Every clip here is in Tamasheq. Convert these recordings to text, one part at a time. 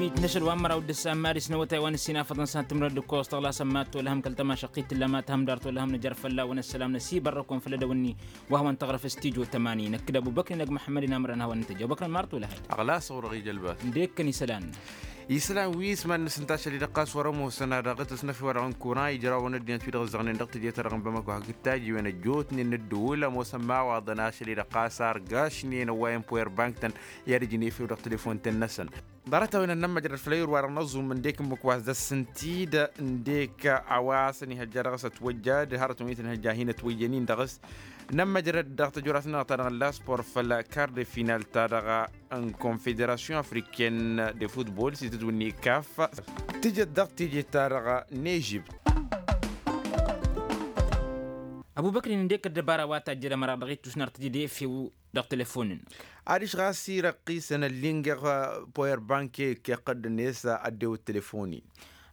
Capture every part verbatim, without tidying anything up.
Itnăšăl wa n-măraw d-ǝssan mad-isnăwătay wa n-ǝssin afăḍăn s-ad-tǝmrăd d-ǝkkoẓ tăɣla sămmat tolăhăm kăl-tămašăqqit tǝlla ma tǝhăm dar tolăhăm nǝjăr fălla-wăn ăssălam năsibărrăk-wăn făll-edăwănni wa hawăn-tăɣrăf s-tijo tămani năkk d-abubăkri n-ăgg măḥămmăd-in amărăn hawăn-tăjj abubăkri n-marăt olăhăy. Ăɣlas ɣur-ăɣ ijălbat. Ǝndek-kăn isălan. Isălan wi s-mad-nǝsǝnta ašăl-i-dăɣ ɣas wăr-ămoosăn ad-dăɣ-t ăsnăf i-wăr-dăɣ n-kuran ijrawăn ăddinăt wi dăɣ-ǝzzăɣnen dăɣ-teje-ta-dăɣ n-bamăko hakd tajjiwen ăjjootnen n-ǝddǝwǝl ămoosăn imawaḍăn ašăl-i-dăɣ ɣas ar gašnen ăwwayăn power bank-tăn i-ad-ǝjǝn efew dăɣ-telefon-tăn-năsăn. Ḍarăt-a-wen ad-nămmăjrăd făll-ayǝr-wa-dăɣ n-aẓum ǝndek ǝmmǝk wa s-dăr-s ǝntidă ǝndek a-wa s-ănihăjja dăɣ-s ătwăjja d-hărătăn wi tăn-ihăjja a hin-ătwăjjăn-in dăɣ-s. Nămmăjrăd dăɣ-tăjorasăn-dăɣ-ta-dăɣ n-laspor făll-kar de final-ta-dăɣ n-konfederasyon afriken de futbol s-itǝtwǝnni kaf. Tǝjăt dăɣ-teje-ta-dăɣ n-ežibt. Ăbubăkrin ǝndek ăddăbara wa tajjăd ămăra dăɣ-ittus n-ar tǝjǝd efew dăɣ-telefon-năk. Adiš ɣas irăqqisăn ăllingeɣ power bank i-ǝkkeɣ-tăn-net ăddewăt telefon-in.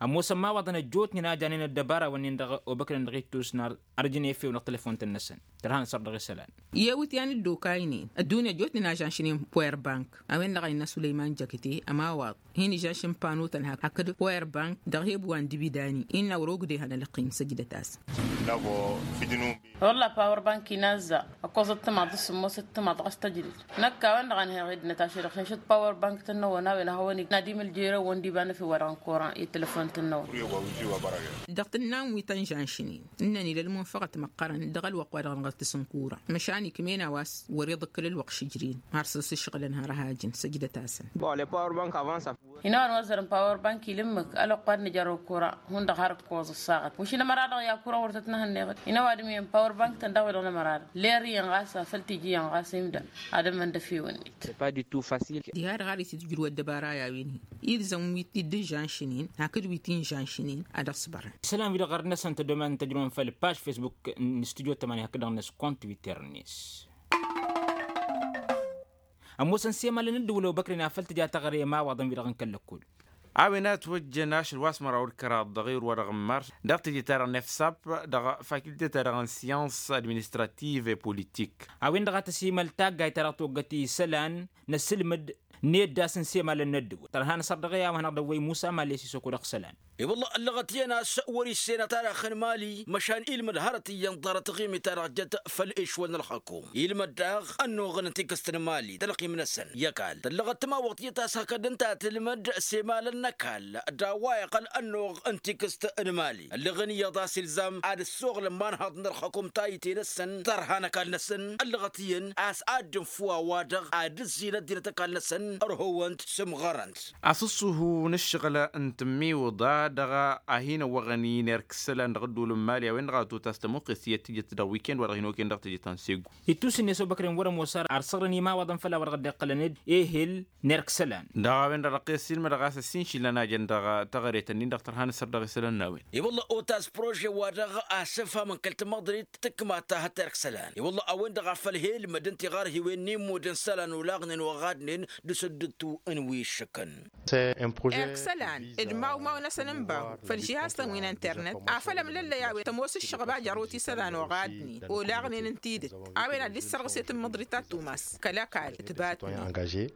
Ămoosăn imawaḍăn ăjjootnen a janen ăddăbara-wǝnnin dăɣ-obăknen dăɣ-ittus n-ar ărjǝn efew dăɣ-telefon-tăn-năsăn. Tărha n-asăr dăɣ-isălan. I-ewǝt i-ad-nǝ dd-okaynen ăddunya ăjjootnen a žanšnen power bank a-wen-dăɣ a innă sulăyman jăkte ămawaḍ hin-ižănšǝn pano-tăn hakd power bank dăɣ-he-ăbbu wa n-dibidani innă wăr-ogdehăn ălăqqim săjdăt-asăn. Wălla power bank-i n-azza ăkkoẓăt timaḍ d-sǝmmosăt timaḍ ɣas tăjrǝd. Năkk a-wen-dăɣ a nǝheɣ ed nătašădăɣ šănšăt power bank-tăn-năwăn a-wen a hawăn-ik n-ad-imǝljere-wăn d-iba n-efew-wa-dăɣ n-koran i-telefon-tăn-năwăn. Dăɣ-tǝnna n-wi tăn-žanšnen ǝnnăn ila ălmunfăɣăt măqqărăn dăɣ-ălwăqq wa dăɣ-năɣ tǝsǝnkura măšan ikm'-en a-wa s-wăr-iḍǝkkǝl ălwăqq šǝjren har săr-s ǝššăɣǝlăn har ăhajǝn săjdăt-asăn. Inăwăn wa ăzzărăn power bank-i ǝmmǝk ălwăqq wa d-nǝjăr okura hundăɣ har ǝkkoẓ ǝssaɣăt wǝšǝl ămăra-dăɣ i-akura wăr tăt-nǝhănneɣ-dd. Inăwăn wa d-ǝmmǝyăn power bank-tăn daɣ wi-dăɣ n-ămăra-dăɣ ler iyyăn ɣas a făl tiji iyyăn ɣas imda ad-ămmăn d-efew-net. Diha-dăɣ har itǝjrǝw ăddăbara i-a-wen-hi ilzăm wi t-dd-žanšnen hakd wi t-in-žanšnen ad-ăṣbărăn. Isălan-wi-dăɣ ɣărăt-năsăn tădomant n-tăjrǝwăn făll-paž facebook n-stujo tămani hakd-dăɣ-năs kont twitter-net. Ămoosăn s-emalăn ǝddǝwǝl obăkren afăl tǝja taɣre i-imawaḍăn-wi-dăɣ n-kăl-lăkkol. A-wen a ătwăjjăn ašăl wa s-măraw d-kăraḍ dăɣ-ewăr wa dăɣ-n mars dăɣ-teje-ta-dăɣ n-efsap dăɣ-facultet-ta-dăɣ n-syans administrative et politik. A-wen-dăɣ a tăsimăl taggayt ta dăɣ-toggăt isălan n-asǝlmǝd n-eddas n-semalăn n-ăddǝwǝl tărha n-asăr dăɣ-e-a-wa hanăɣ-dd-ăwwăy musa mali a-s isokod ăɣsălan. I-wălla ăllăɣăt iyyăn a-s wăr-issen ad-tarax n-mali măšan ilmǝd hărăt iyyăn ḍarăt ɣimit-ta-dăɣ jăt făll-ešwăl n-ălxăkum. Ilmăd daɣ ănnuɣ n-tikǝst n-mali tălqim-năsăn i-ăkall tăllăɣăt timawăɣt iyyăt a-s hakd ǝnta a tǝlmǝd s-emalăn n-ăkall d-a-wa iqqăl ănnuɣ n-tikǝst n-mali ălleɣen iyyăḍ a-s ilzam ad-ăssoɣlăn imanhaḍ n-ălxăkum tayǝte-năsăn tărha n-ăkall-năsăn ăllăɣăt iyyăn a-s ad-dd-infǝw a-wa-dăɣ ad-ǝzzin ăddinăt ăkall-năsăn ărhăwăn-t sǝmɣărăn-t. Asǝṣṣuhu n-ǝššăɣǝl n-tǝmmiwǝḍa dăɣ-a hin-ăwwăɣăn i-nerk isălan dăɣ-ădduul n-mali a-wen-dăɣ a tot a-s tămuqqest iyyăt tǝjăt dăɣ-wi ken-wa-dăɣ hin-okăyăn dăɣ-tejăt ta n-segu. Ittus-net obăkren wăr-ămoos ar săɣrăn imawaḍăn făll-a-wa dăɣ-dd-iqqălăn ehel nerk isălan. Dăɣ-a-wen-dăɣ dăɣ-kăy-ăssiilmădăɣ a-s ăssiinšǝlăn a jăn dăɣ-taɣăret-ǝnnin dăɣ-tărha n-asăr dăɣ-isălan n-a-wen. I-wălla otas prože-wa-dăɣ a sǝfhamăn kăl-tamăḍrit tǝkma ta hăt-erk isălan i-wălla a-wen-dăɣ a făl he-ǝlmǝd ǝnta iɣarhiwen n-immud n-isălan olaɣnen oɣadnen d-asǝddǝttu n-wi ǝššǝkăn. Erk isălan d-imawmaw-năsăn n-bahu făll-žihaz-tăn wi n-internet afăl ămlăllăy a-wen tămoos ǝššăɣba jărrut isălan oɣadnen olaɣnen n-tidǝt. A-wen ad-dd-issărɣǝset n-măḍrit ta tumas kăl-ăkall tǝbatnen.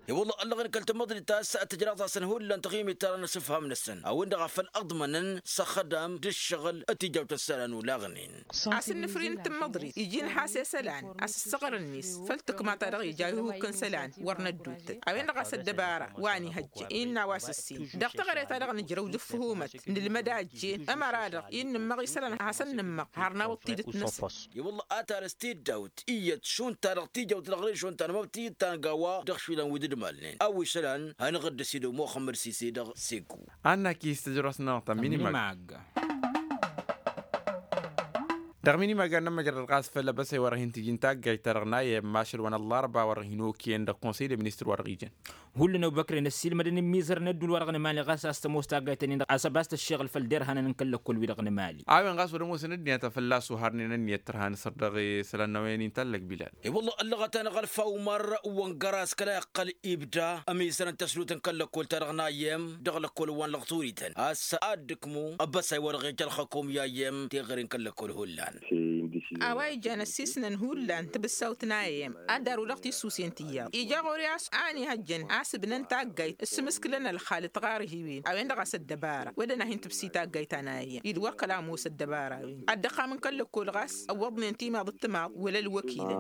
I-wălla ăllăɣăn kăl-tamăḍrit a-s tǝjraḍ-asăn hullan taɣimit-ta-dăɣ n-asǝfham-năsăn a-wen-dăɣ a făl ǝḍmănăn s-axădam d-ǝššăɣǝl d-tijawt n-isălan olaɣnen. A-s ǝnnǝfrin n-tamăḍrit iji n-has' isălan a-s ǝssăɣrăn-net făll-tǝkma-ta-dăɣ ija ihuk n-isălan wăr nădduttăt a-wen-dăɣ a-s ăddăbara wa n-ihăjja innă a-wa s-ǝssin dăɣ-taɣre-ta-dăɣ nǝjrăw d-ǝfhumăt nǝlmăd a ăjjeen ămăra-dăɣ i-nǝmmăɣ isălan a hasăn-nǝmmăɣ har n-awăḍ tidǝt-năsăn. I-wălla a tarǝs tiddawt iyyăt šund ta-dăɣ tijawt dăɣ-režon ta n-amăbtiyǝd ta n-gawa dăɣ-išwilăn wi dd-malnen a-wa isălan hanăɣ-dd-ăsidăw muxămmăd sise dăɣ-segu. Annak-i s-tăjrosnăɣ ta minimag. Dăɣ-minimag ad-nămmăjrăd ɣas făll-abăsay wa dăɣ-hin-tǝjǝn taggayt-ta-dăɣ n-ayyăm ašăl wa n-ăllarba wa dăɣ-hin-okăyăn dăɣ-konsăy de ministăr wa dăɣ-ijăn. Hullan obăkren ăssiilmădăn imizăr n-ădduul wa dăɣ-nǝmali ɣas a-s tămoos taggayt-nin-dăɣ a-s ăbas tăššeɣǝl făll-derhanăn n-kăl-lăkkol-wi-dăɣ nǝmali. A-wen ɣas wăr-ămoosăn ăddinăt a fălla-s oharnen ănniyăt tărha n-asăr dăɣ-isălan n-a-wen inta ăllăg bilal. I-wălla ăllăɣăt-anăɣ ălfa umăr wăngăras kăla iqqăl ibda ămizăr n-tăslut n-kăl-lăkkol-ta-dăɣ n-ayyăm dăɣ-lăkkol wa n-lăɣturităn a-s ad-dd-ǝkmu ăbbăsay wa dăɣ-ija ălxăkum i-ayyăm teɣăre n-kăl-lăkkol hullan. A-wa ijjan ăssiisnăn hullan tibǝssawt n-a i m ad-darǝw dăɣ-tissusen tiyyăḍ ija ɣur-i a-s a ănihăjjăn a-s ǝbnăn taggayt s-imǝskǝlăn ălxal d-tiɣarhiwen a-wen-dăɣ a-s ăddăbara wădden a hin-tǝbsi taggayt ta n-a i m-i d-wăr kăla ămoos ăddăbara-wen ăddăxxam n-kăl-lăkkol ɣas ăwwăḍnen timaḍ d-timaḍ wăla ălwăkilăn.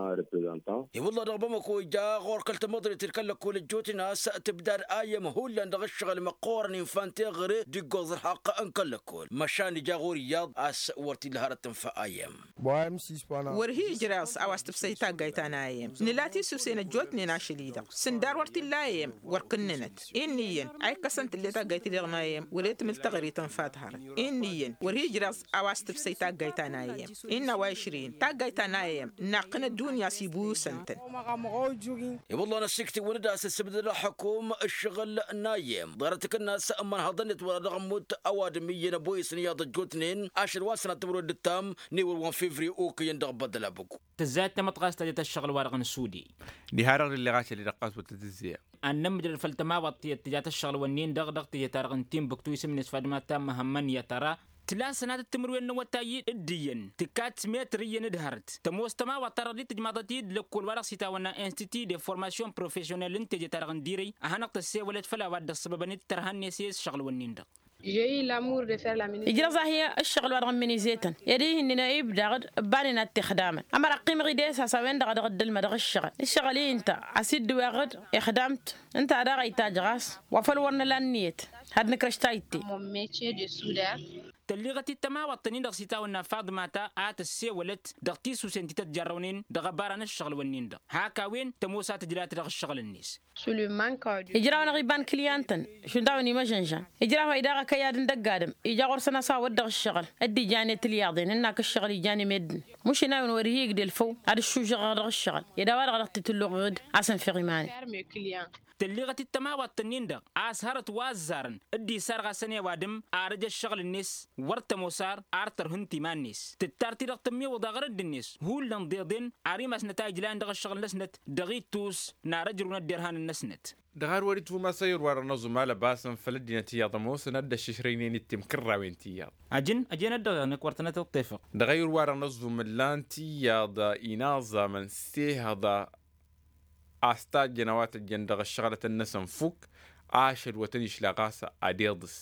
I-wălla dăɣ-bamăko ija ɣur-kăl-tamăḍrit d-kăl-lăkkol ăjjootnen a-s tǝbdad a i m hullan dăɣ-ǝššăɣǝl măqqoorăn infa n-teɣăre d-iggoẓ ălxaqq n-kăl-lăkkol măšan ija ɣur-iyyăḍ a-s wăr t-illa hărăt tǝnfa a i m. Wăr hi-ijreẓ a-wa s-tǝbsăy taggayt ta n-a i m nǝla tisusen ăjjootnen ašăl-i-dăɣ sǝndar wăr t-illa a i m wăr kǝnnǝnăt. Innă iyyăn a ikkăsăn tǝlle taggayt-i-dăɣ n-a i m wăla i-tǝmǝl teɣăre tǝnfa-t hărăt. Innă iyyăn wăr hi-ijreẓ a-wa s-tǝbsăy taggayt ta n-a i m innă a-wa išrǝyăn taggayt ta n-a i m naqqǝn ăddunya s-ibusăn-tăn. I-wălla năsiktǝwăn-dd a-s ǝssǝbdăd ălxukum ǝššăɣǝl n-a i m ḍarăt ǝkǝnnas ămmănhăḍăn-net wăla dăɣ-ămmut ăwadǝm iyyăn ăboyǝsăn iyyăḍ ăjjootnen ašăl wa s-sănat timǝrwen d-ǝttam n-ewăl wa n-fevriye okăyăn dăɣ-băddăl abăku. Tǝzzayăt tamăḍt ɣas tăjăt ăššăɣǝl-wa-dăɣ n-sudi. Diha-dăɣ d-illeɣ ašăl-i-dăɣ ɣas wăr tăt-ǝzzeyăm. Ad-nǝmmǝjrăd făll-tămawaḍt tiyyăt tǝjat ăššăɣǝl-wǝnnin-dăɣ dăɣ-teje-ta-dăɣ n-tinbǝktu isǝm-net fadma ta măhămmăn i-ad-tăra tǝla sănatăt timǝrwen n-awătay d-iyyăn tǝkkat s-metr iyyăn d-hărăt tămoos tămawaḍt-ta-dăɣ d-tǝjmaḍăt-dd lăkkol-wa-dăɣ s-itawănna institut de formation profesyonel n-teje-ta-dăɣ n-dirăy a hanăɣ-tăssewălăt făll-a-wa dd-ăṣṣăbăbăn d-tărha-net i-ǝššăɣǝl-wǝnnin-dăɣ. Ijrăẓ-ahi ǝššăɣǝl-wa-dăɣ n-imǝnizăy-tăn ed ih'-ǝnnin a ibdăɣ-dd ǝbbanen ad-t-ixdamăn ămăra ăqqimăɣ-dd e-s a-s a-wen-dăɣ a dăɣ-dd-ǝlmădăɣ ǝššăɣǝl iša-i ǝnta a-s dd-ǝweɣ-dd ixdam-t. Ǝnta a daɣ a itajj ɣas wa făl wăr nǝla ǝnniyăt had-nǝkrăš tayǝtte. Tălliɣăt-dd tămawaḍt-ǝnnin-dăɣ s-itawănna faḍmata a tăssewălăt dăɣ-tisusen ti tăt-jarrăwnen dăɣ-ăbara n-ǝššăɣǝl-wǝnnin-dăɣ hak a-wen tămoos a tǝjlat dăɣ-ǝššăɣǝl-net. Ijraw-năɣ iba n-kǝlyan-tăn šund a-wen imăžănžan ijraw-hi daɣ ăkăyad n-dăgg-adǝm ija ɣur-săn a-s a wăr dăɣ-ǝššăɣǝl dd-ijan i-tǝlyaḍen ǝnn'-ak ǝššăɣǝl ijan i-meddǝn. Mušin a-wen wăr hi-igdel făw ad-ǝššužăɣăɣ dăɣ-ǝššăɣǝl ed a-wa-dăɣ dăɣ-t-tǝlluɣăɣ-dd a-s ǝnfeɣ iman-i. Tălliɣăt-dd tămawaḍt-ǝnnin-dăɣ a-s hărăt wa ăzzarăn dd-isar ɣas ănewadǝm ar ăj ăššăɣǝl-net wăr tămoos ar ar tărhǝnt iman-net tǝttar-t-dăɣ tămmiwǝḍa ɣărădd-net hullan ḍeḍen ar imasnăt a ijlayăn dăɣ-ăššăɣǝl-năsnăt dăɣ-ittus n-ar ăjrǝwnăt derhanăn-năsnăt. Dăɣ-ad-wăr-itwǝm a-s ăyyăr-wa-dăɣ n-aẓum alăbasăn făll-ăddinăt iyyăḍ ămoosăn ad-dd-ăššǝšrăynen ittim kǝrrawen tiyyăḍ. Ajăn ajăn-ăddăɣ-iɣnăk wăr tănăt-iṭṭefăɣ. Dăɣ-ăyyăr-wa-dăɣ n-aẓum ǝllan-t iyyăḍ inaẓamăn s-ehăḍa a-s tajjăn a-wa tăjjăn dăɣ-ăššăɣlătăn-năsăn fukk ašăl wa tăn-išla ɣas ad-iḍǝs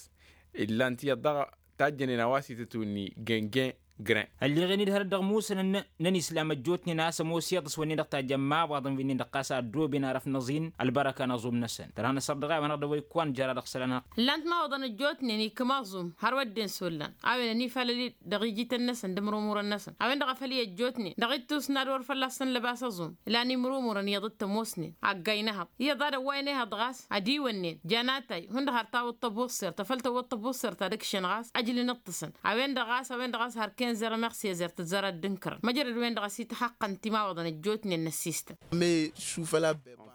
ǝllan-t iyyăḍ daɣ tajjănen a-wa s-itǝtwǝnni găngăy. Gren. Ălleɣen-dd hărăt dăɣ-imusǝnăn n-ănislam ăjjootnen a-s ămoos iḍǝs wănnen dăɣ-tajjăn imawaḍăn wi-nin-dăɣ ɣas a ăddooben arăf n-aẓin ălbărăka n-aẓum-năsăn tărha n-asărdăɣ a-wen-dăɣ dăɣ-wa ikkăwăn jăra dăɣ-isălan. Ǝllan-t imawaḍăn ăjjootnen ikkăm aẓum hărwa ăddin s-ollan a-wen ănifalăl-dd dăɣ-ijităn-năsăn d-imrumurăn-năsăn a-wen-dăɣ a făl i-ăjjootnen dăɣ-ittus n-ad-wăr fălla-săn lăbas aẓum. Ǝlan imrumurăn iyyăḍ d-tămoosnen ăggay n-ehăḍ iyyăḍ ad-ăwwayăn ehăḍ ɣas ad-iwănnen jan atay hundăɣ har tawǝḍ tăbuṣṣert afăl tăwwăḍ tăbuṣṣert ad-ǝkšăn ɣas ăjlǝn ǝṭṭǝsăn. A-wen-dăɣ ɣas a-wen-dăɣ ɣas har kenzer ămeɣ sezzer tǝzzăr ad-dd-ǝnkărăn măjrăd wen-dăɣ a-s ităxăqqăn timawaḍăn ăjjootnen n-ăssistăn.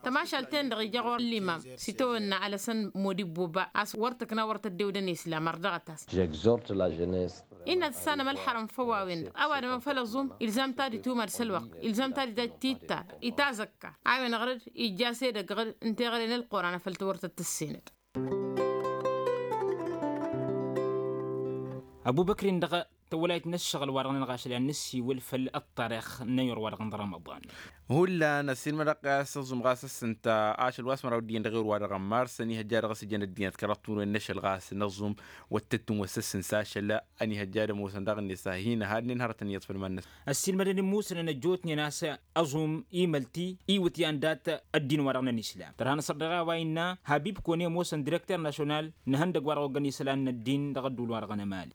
Tămašalt-en-dăɣ ija ɣur-ăllimam s-itawănna alăsăn modibbo ba a-s wăr tǝkna wăr tăddewdăn islam ărdăɣăt-as. Innă ad-tǝssanăm ălxărăm făw a-wen-dăɣ ăwadǝm afăl ăẓum ilzam-t ad-itumad s-ălwăqq ilzam-t ad-itittar itazăkkar a-wen ɣăr-dd ijja s-edăgg ɣǝd n-teɣăre n-ălquran afăl tawăr tăt-tǝssenăd. Ăbubăkr-in-dăɣ tăwălayt n-ǝššăɣǝl-wa-dăɣ n-ălɣašăl i-ad-nǝssiwǝl făll-ăṭṭarix n-ayǝr-wa-dăɣ n-rămăḍan. Hullan ăssiilmădăɣ-t a-s ăẓum ɣas ăssǝnta ašăl wa s-măraw dd-iyyăn dăɣ-ewăr-wa-dăɣ n-mars ănihăjja dăɣ-s ijăn ăddinăt kăraḍ timǝrwen n-ašăl ɣas n-ăẓum. Wăr tăt-tǝnwăssăsăn s-ašăl ănihăjja ad-ămoosăn daɣ-net a hin-ăhadnen hărătăn iyyăḍ făll-iman-năsăn. Ăssiilmădăn imusǝnăn ăjjootnen a-s ăẓum imăl-t-i iwǝtyan dat-ăddin-wa-dăɣ n-ănislam tărha n-asărdăɣ a-wa innă habib kone ămoosăn direkter national n-ehăndăgg wa dăɣ-oggăn isălan n-ăddin dăɣ-ădduul-wa-dăɣ n-emali.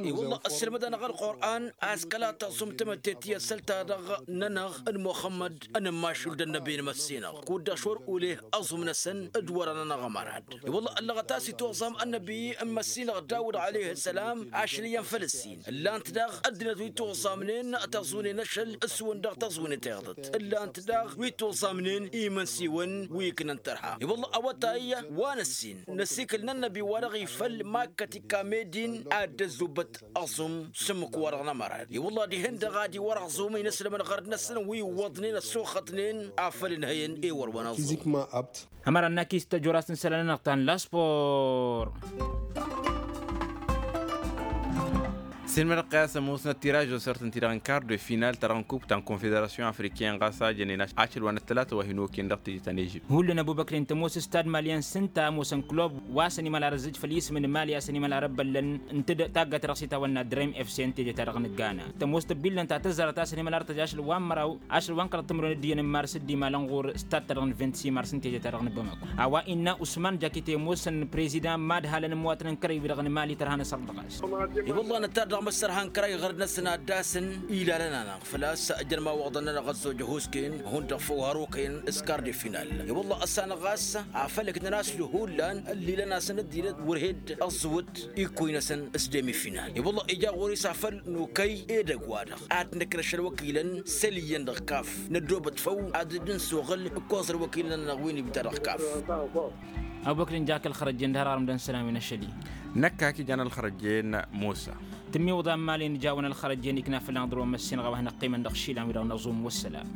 I-wălla ăssiilmăd-anăɣ ălqur'an a-s kăla tăẓum tamătte tiyyăt săl-ta-dăɣ-nănăɣ d-muxămmăd ănămmašul d-ănnăbi n-măssinăɣ kud-dăɣ šor uleh ăẓum-năsăn d-wăr-anănăɣ ămărad. I-wălla ăllăɣăt a-s ituẓam ănnăbi n-măssinăɣ dawud aleh ăssălam ašăl iyyăn făll-ǝssin ǝllan-t daɣ ăddinăt wi tuẓamnen tăẓunen ašăl s-wǝn dăɣ-tăẓunet iḍăt ǝllan-t daɣ wi tuẓamnen imǝnsiwăn wi ǝknăn tărha. I-wălla awătay wa n-ǝssin n-ăsikǝl n-ănnăbi wa dăɣ-ifăl makkăt ikka medin ad-dd-ăzzubbăt ăẓum s-ǝmmǝk-wa-dăɣ n-ămărad i-wălla dihen-dăɣ ad-iwăr ăẓum inǝslămăn ɣărd-năsăn wi iwwăḍnen ăssuxătnen afăl ǝnhăyăn i-wăr-wăn ăẓum. Ămăra n-akis tăjorast n-isălan-nănăɣ ta n-laspor. Sǝnmănăɣ-t a-s ămoosnăt tiražo săr-tăn-ti-dăɣ n-kar de final ta dăɣ-n kup ta n-konfederasyon afriken ɣas a jănen ašăl wa n-ăttălata wa hin-okăyăn dăɣ-teje ta n-ežypt. Hullan ăbubăkren tămoos s-tad malyan s-ǝnta ămoosăn klub wa s-ănimălar ăzzǝj făll-isǝm n-mali a-s ănimălar ăbbăllăn ǝntǝd taggat dăɣ-s itawănna drem fc n-teje ta dăɣ-nǝggana. Tămoos tăbbillăn ta tăzzarăt a-s ănimălar tăj ašăl wa n-măraw ašăl wa n-kăraḍ timǝrwen d-iyyăn n-mars dd-imalăn ɣur-stad ta dăɣ-n vint simars n-teje ta dăɣ-nǝbbămăk. A-wa innă usman jakite ămoosăn prezidan madhalăn ămwatăn n-kărăy-wi-dăɣ n-mali tărha n-asărdăɣ-as. I-wălla năttar dăɣ-măssărha n-kărăy ɣărd-năsăn ad-dd-asǝn ilalăn-anăɣ făl-a-s ăjăn imawăḍăn-nănăɣ ăzzojăh osken hundăɣ făw har okăyăn s-kar de final. I-wălla ăssanăɣ a-s afăl ǝknăn a-s hullan ăllilăn-asăn dd-ilăn wăr he-dd ăẓẓǝwǝt ikkuy-năsăn s-demi final. I-wălla ija ɣur-i s-afăl nokăy edăgg-wa-dăɣ ad-t-nǝkrăš ălwăkilăn săl iyyăn dăɣ-kaf năddoobăt făw ad-dd-nǝssoɣǝl ǝkkoẓ ălwăkilăn-nănăɣ wi n-ibda dăɣ-kaf. Ăbubăkr n-jak ălxărăjjen d-har ɣarăm d-ănn sălam-in ăššăl-i. Năkk hak ijan ălxărăjjen musa. Tǝmmiwǝḍa n-imali n-ijawăn ălxărăjjen ikna făll-anăɣ dăr-wăn măssinăɣ a-wa hin-ăqqimăn dăɣ-išilan-wi-dăɣ n-aẓum wăssălam.